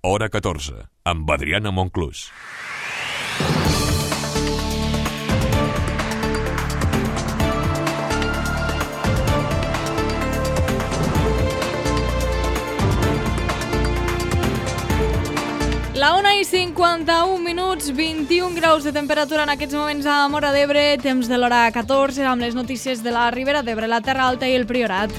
Hora 14, amb Adriana Monclús. La 1:51, 21 graus de temperatura en aquests moments a Móra d'Ebre, temps de l'hora 14, amb les notícies de la Ribera d'Ebre, la Terra Alta i el Priorat.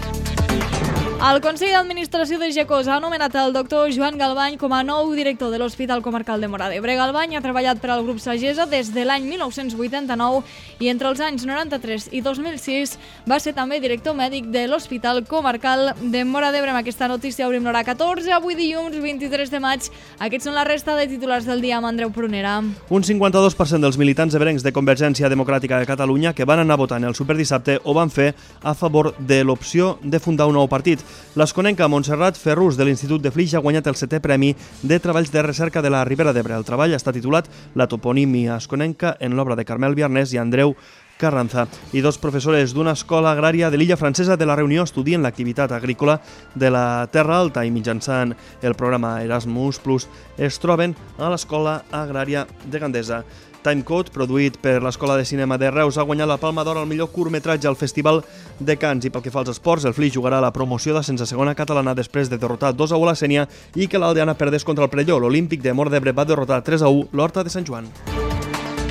El Consell d'Administració de GECOS ha anomenat el doctor Joan Galbany com a nou director de l'Hospital Comarcal de Móra d'Ebre. Galbany ha treballat per al grup Sagesa des de l'any 1989 i entre els anys 93 i 2006 va ser també director mèdic de l'Hospital Comarcal de Móra d'Ebre. Amb aquesta notícia obrim l'hora 14, avui dilluns 23 de maig. Aquests són la resta de titulars del dia amb Andreu Prunera. Un 52% dels militants ebrencs de Convergència Democràtica de Catalunya que van anar votant el superdissabte ho van fer a favor de l'opció de fundar un nou partit. L'esconenca Montserrat Ferrús de l'Institut de Flix ha guanyat el 7è Premi de Treballs de Recerca de la Ribera d'Ebre. El treball està titulat La toponímia esconenca en l'obra de Carmel Biarnés i Andreu Carranza. I dos professores d'una escola agrària de l'illa francesa de la Reunió estudien l'activitat agrícola de la Terra Alta i mitjançant el programa Erasmus Plus es troben a l'Escola Agrària de Gandesa. Timecode, produït per l'Escola de Cinema de Reus, ha guanyat la Palma d'Or al millor curtmetratge al Festival de Cants. I pel que fa als esports, el Flix jugarà la promoció d'ascens a segona catalana després de derrotar 2-1 la Sénia i que l'Aldeana perdés contra el Prelló. L'Olímpic de Móra d'Ebre va derrotar 3-1 l'Horta de Sant Joan.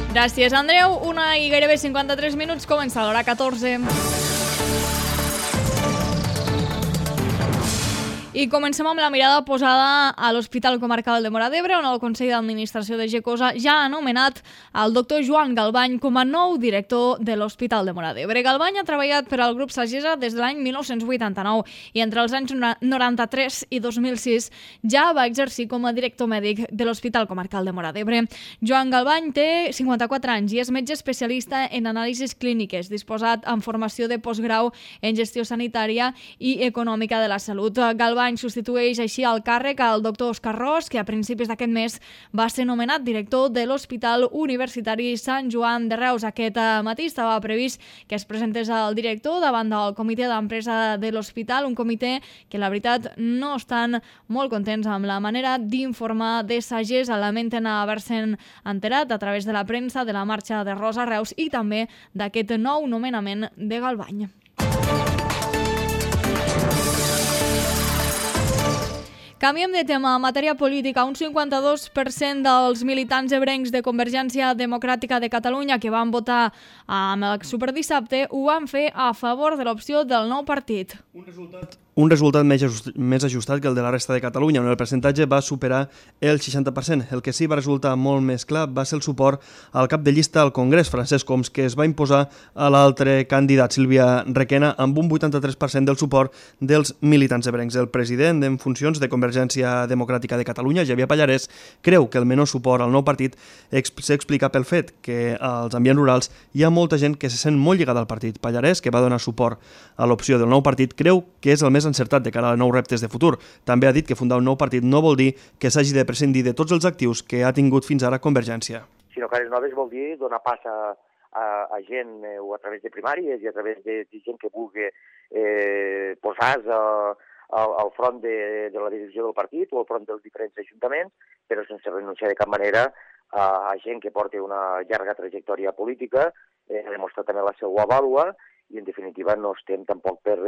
Gràcies, Andreu. 1:53, comença l'hora 14. I comencem amb la mirada posada a l'Hospital Comarcal de Móra d'Ebre, on el Consell d'Administració de GECOS ja ha anomenat el doctor Joan Galbany com a nou director de l'Hospital de Móra d'Ebre. Galbany ha treballat per al grup Sagesa des de l'any 1989 i entre els anys 93 i 2006 ja va exercir com a director mèdic de l'Hospital Comarcal de Móra d'Ebre. Joan Galbany té 54 anys i és metge especialista en anàlisis clíniques, disposat en formació de postgrau en gestió sanitària i econòmica de la salut. Galbany substitueix així al càrrec al doctor Òscar Ros, que a principis d'aquest mes va ser nomenat director de l'Hospital Universitari Sant Joan de Reus. Aquest matí estava previst que es presentés el director davant del comitè d'empresa de l'hospital, un comitè que la veritat no estan molt contents amb la manera d'informar de Sagesa. Lamenten haver-se'n enterat a través de la premsa de la marxa de Ros a Reus i també d'aquest nou nomenament de Galbany. Canviem de tema. En matèria política, un 52% dels militants ebrencs de Convergència Democràtica de Catalunya que van votar amb el superdissabte ho van fer a favor de l'opció del nou partit. Un resultat més ajustat que el de la resta de Catalunya, on el percentatge va superar el 60%. El que sí va resultar molt més clar va ser el suport al cap de llista al Congrés, Francesc Homs, que es va imposar a l'altre candidat, Sílvia Requena, amb un 83% del suport dels militants ebrencs. El president en funcions de Convergència Democràtica de Catalunya, Xavier Pallarès, creu que el menor suport al nou partit s'explica pel fet que als ambients rurals hi ha molta gent que se sent molt lligada al partit. Pallarès, que va donar suport a l'opció del nou partit, creu que és el més encertat de cara a nous reptes de futur. També ha dit que fundar un nou partit no vol dir que s'hagi de prescindir de tots els actius que ha tingut fins ara Convergència. Sinó cares noves vol dir donar pas a gent o a través de primàries i a través de gent que vulgui posar-se al front de la direcció del partit o al front dels diferents ajuntaments, però sense renunciar de cap manera a gent que porta una llarga trajectòria política, ha demostrat també la seva vàlua i, en definitiva, no estem tampoc per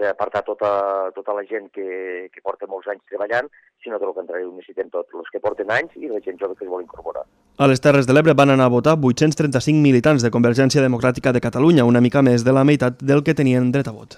apartar tota la gent que porta molts anys treballant, sinó que el contrari, ho necessitem tots, els que porten anys i la gent jove que es vol incorporar. A les Terres de l'Ebre van anar a votar 835 militants de Convergència Democràtica de Catalunya, una mica més de la meitat del que tenien dret a vot.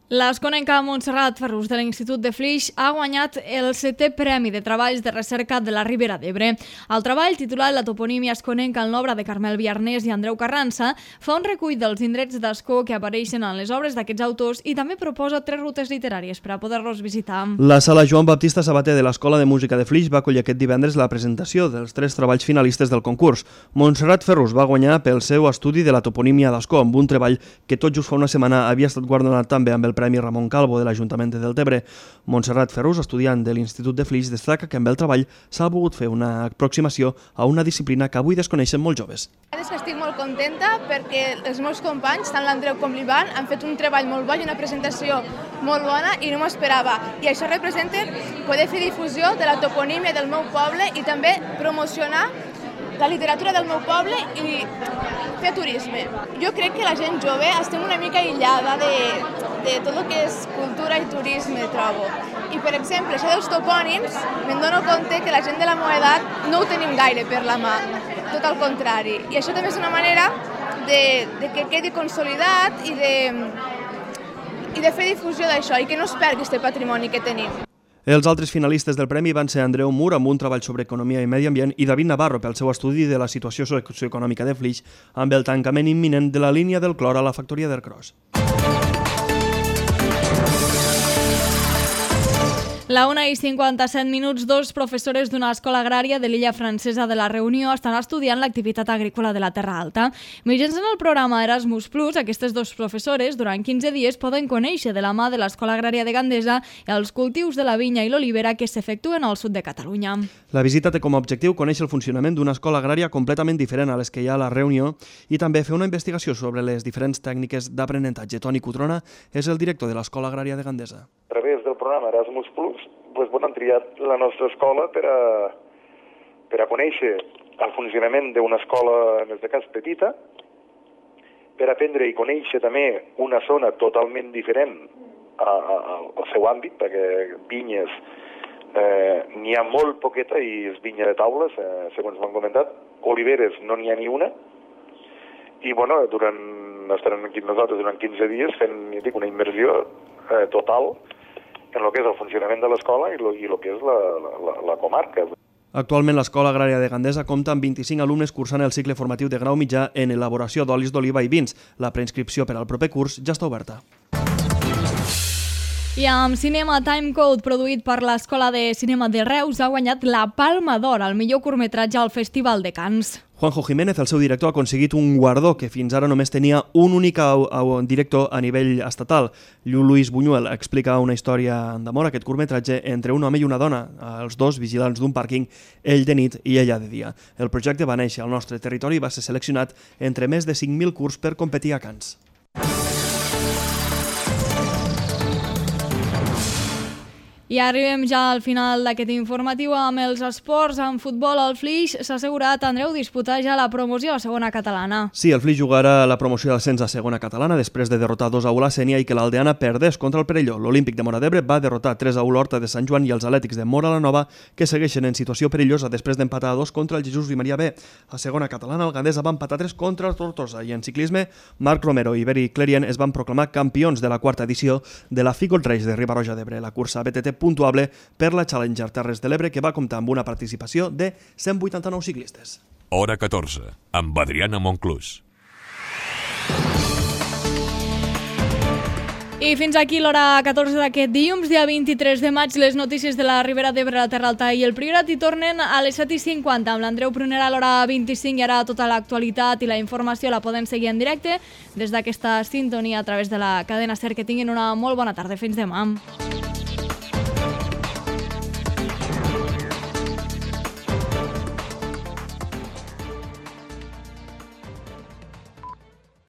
L'esconenca Montserrat Ferrús de l'Institut de Flix ha guanyat el 7è Premi de Treballs de Recerca de la Ribera d'Ebre. El treball, titulat La toponímia esconenca en l'obra de Carmel Biarnés i Andreu Carranza, fa un recull dels indrets d'escó que apareixen en les obres d'aquests autors i també proposa 3 rutes literàries per a poder-los visitar. La sala Joan Baptista Sabater de l'Escola de Música de Flix va acollir aquest divendres la presentació dels 3 treballs finalistes del concurs. Montserrat Ferrús va guanyar pel seu estudi de la toponímia d'escó, amb un treball que tot just fa una setmana havia estat guardonat també amb el Premi Ramon Calvo de l'Ajuntament de Deltebre. Montserrat Ferrús, estudiant de l'Institut de Flix, destaca que amb el treball s'ha volgut fer una aproximació a una disciplina que avui desconeixen molts joves. És que estic molt contenta perquè els meus companys, tant l'Andreu com l'Ivan, han fet un treball molt bo i una presentació molt bona i no m'ho esperava. I això representa poder fer difusió de la toponímia del meu poble i també promocionar la literatura del meu poble i fer turisme. Jo crec que la gent jove estem una mica aïllada de tot el que és cultura i turisme, trobo. I, per exemple, això dels topònims, me'n dono compte que la gent de la meva edat no ho tenim gaire per la mà, tot al contrari. I això també és una manera de que quedi consolidat i de fer difusió d'això i que no es perdi aquest patrimoni que tenim. Els altres finalistes del premi van ser Andreu Mur amb un treball sobre economia i medi ambient i David Navarro pel seu estudi de la situació socioeconòmica de Flix amb el tancament imminent de la línia del clor a la factoria d'Ercros. La 1:57, dos professores d'una escola agrària de l'illa francesa de la Reunió estan estudiant l'activitat agrícola de la Terra Alta. Mitjançant el programa Erasmus+, aquestes dos professores durant 15 dies poden conèixer de la mà de l'Escola Agrària de Gandesa els cultius de la vinya i l'olivera que s'efectuen al sud de Catalunya. La visita té com a objectiu conèixer el funcionament d'una escola agrària completament diferent a les que hi ha a la Reunió i també fer una investigació sobre les diferents tècniques d'aprenentatge. Toni Cutrona és el director de l'Escola Agrària de Gandesa. A través del programa Erasmus+, han triat la nostra escola per a conèixer el funcionament d'una escola, en aquest cas petita, per aprendre i conèixer també una zona totalment diferent al seu àmbit, perquè vinyes n'hi ha molt poqueta i és vinya de taules, segons m'han comentat. Oliveres no n'hi ha ni una. I estarem aquí nosaltres durant 15 dies fent una immersió total en el que és el funcionament de l'escola i el que és la comarca. Actualment l'Escola Agrària de Gandesa compta amb 25 alumnes cursant el cicle formatiu de grau mitjà en elaboració d'olis d'oliva i vins. La preinscripció per al proper curs ja està oberta. I amb Cinema Timecode, produït per l'Escola de Cinema de Reus, ha guanyat la Palma d'Or al millor curtmetratge al Festival de Cannes. Juanjo Jiménez, el seu director, ha aconseguit un guardó que fins ara només tenia un únic director a nivell estatal. Lluís Buñuel explica una història d'amor, aquest curtmetratge, entre un home i una dona, els dos vigilants d'un pàrquing, ell de nit i ella de dia. El projecte va néixer al nostre territori i va ser seleccionat entre més de 5.000 curts per competir a Cannes. I arribem ja al final d'aquest informatiu amb els esports. En futbol, el Flix s'ha assegurat, Andreu, disputar ja la promoció a segona catalana. Sí, el Flix jugarà la promoció d'ascens a segona catalana després de derrotar 2-1 la Sénia i que l'Aldeana perdés contra el Perelló. L'Olímpic de Móra d'Ebre va derrotar 3-1 l'Horta de Sant Joan i els Atlètics de Móra la Nova, que segueixen en situació perillosa després d'empatar a 2 contra el Jesús i Maria B. A segona catalana, el Gandesa va empatar 3 contra el Tortosa i en ciclisme, Marc Romero i Beri Clerien es van proclamar campions de la quarta edició de la Figold Race de Riba-roja d'Ebre, la cursa BTT puntuable per la Challenger Terres de l'Ebre, que va comptar amb una participació de 189 ciclistes. Hora 14, amb Adriana Monclús. I fins aquí l'hora 14 d'aquest dilluns, dia 23 de maig, les notícies de la Ribera d'Ebre, la Terra Alta i el Priorat hi tornen a les 7:50 amb l'Andreu Prunera a l'hora 25 i ara tota l'actualitat i la informació la poden seguir en directe des d'aquesta sintonia a través de la cadena SER. Que tinguin una molt bona tarda. Fins demà.